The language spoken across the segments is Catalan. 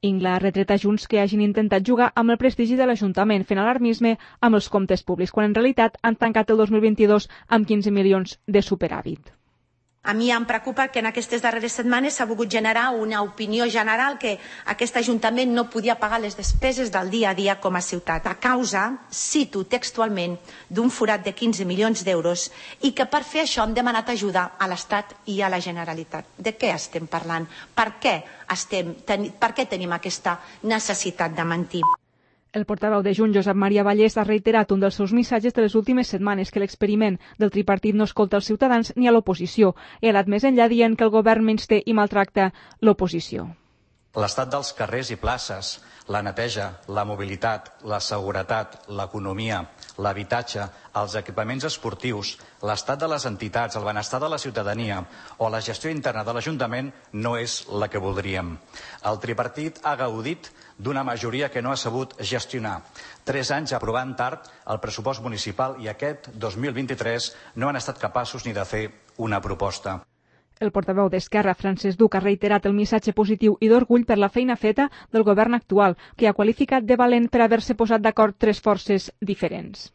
Ingla ha retret a Junts que hagin intentat jugar amb el prestigi de l'Ajuntament fent alarmisme amb els comptes públics, quan en realitat han tancat el 2022 amb 15 milions de superàvit. A mi em preocupa que en aquestes darreres setmanes s'ha volgut generar una opinió general que aquest Ajuntament no podia pagar les despeses del dia a dia com a ciutat, a causa, cito textualment, d'un forat de 15 milions d'euros i que per fer això hem demanat ajuda a l'Estat i a la Generalitat. De què estem parlant? Per què tenim aquesta necessitat de mentir? El portaveu de Junts, Josep Maria Vallès, ha reiterat un dels seus missatges de les últimes setmanes, que l'experiment del tripartit no escolta els ciutadans ni a l'oposició. He anat més enllà dient que el govern menysté i maltracta l'oposició. L'estat dels carrers i places, la neteja, la mobilitat, la seguretat, l'economia, l'habitatge, els equipaments esportius, l'estat de les entitats, el benestar de la ciutadania o la gestió interna de l'Ajuntament no és la que voldríem. El tripartit ha gaudit d'una majoria que no ha sabut gestionar. 3 anys aprovant tard el pressupost municipal i aquest 2023 no han estat capaços ni de fer una proposta. El portaveu d'Esquerra, Francesc Duc, ha reiterat el missatge positiu i d'orgull per la feina feta del govern actual, que ha qualificat de valent per haver-se posat d'acord 3 forces diferents.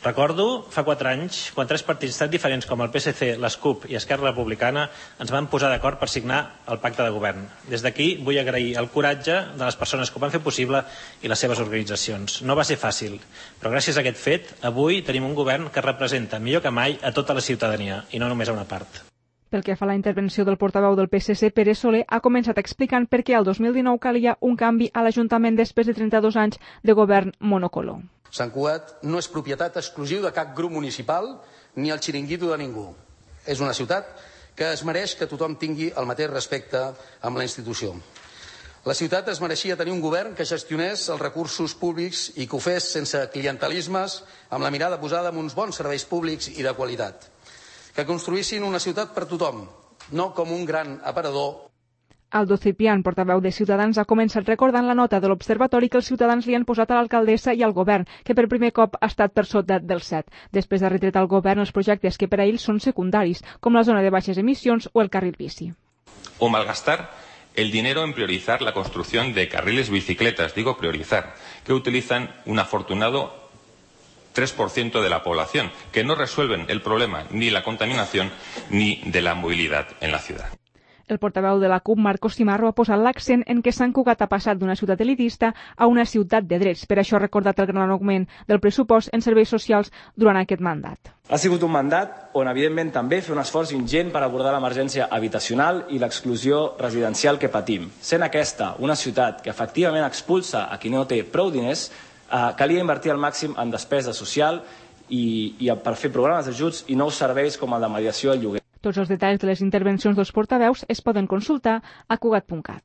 Recordo fa 4 anys, quan 3 partits tan diferents com el PSC, l'SCUP i Esquerra Republicana ens van posar d'acord per signar el pacte de govern. Des d'aquí vull agrair el coratge de les persones que ho van fer possible i les seves organitzacions. No va ser fàcil, però gràcies a aquest fet, avui tenim un govern que representa millor que mai a tota la ciutadania i no només a una part. Pel que fa a la intervenció del portaveu del PSC, Pere Soler, ha començat explicant per què el 2019 calia un canvi a l'Ajuntament després de 32 anys de govern monocolor. Sant Cugat no és propietat exclusiva de cap grup municipal ni el xiringuito de ningú. És una ciutat que es mereix que tothom tingui el mateix respecte amb la institució. La ciutat es mereixia tenir un govern que gestionés els recursos públics i que ho fes sense clientelismes, amb la mirada posada en uns bons serveis públics i de qualitat. Que construïssin una ciutat per tothom, no com un gran aparador. Aldo Ciprián, portaveu de Ciutadans, ha començat recordant la nota de l'Observatori que els ciutadans li han posat a l'alcaldessa i al govern, que per primer cop ha estat per sota del 7. Després ha retret al govern els projectes que per a ells són secundaris, com la zona de baixes emissions o el carril bici. O malgastar el dinero en priorizar la construcción de carriles bicicletas, digo priorizar, que utilizan un afortunado 3% de la población, que no resuelven el problema ni la contaminación ni de la movilidad en la ciudad. El portaveu de la CUP, Marcos Cimarro, ha posat l'accent en que Sant Cugat ha passat d'una ciutat elitista a una ciutat de drets. Per això ha recordat el gran augment del pressupost en serveis socials durant aquest mandat. Ha sigut un mandat on, evidentment, també fer un esforç ingent per abordar l'emergència habitacional i l'exclusió residencial que patim. Sent aquesta una ciutat que efectivament expulsa a qui no té prou diners, calia invertir al màxim en despesa social i per fer programes d'ajuts i nous serveis com el de mediació al lloguer. Tots els detalls de les intervencions dels portaveus es poden consultar a cugat.cat.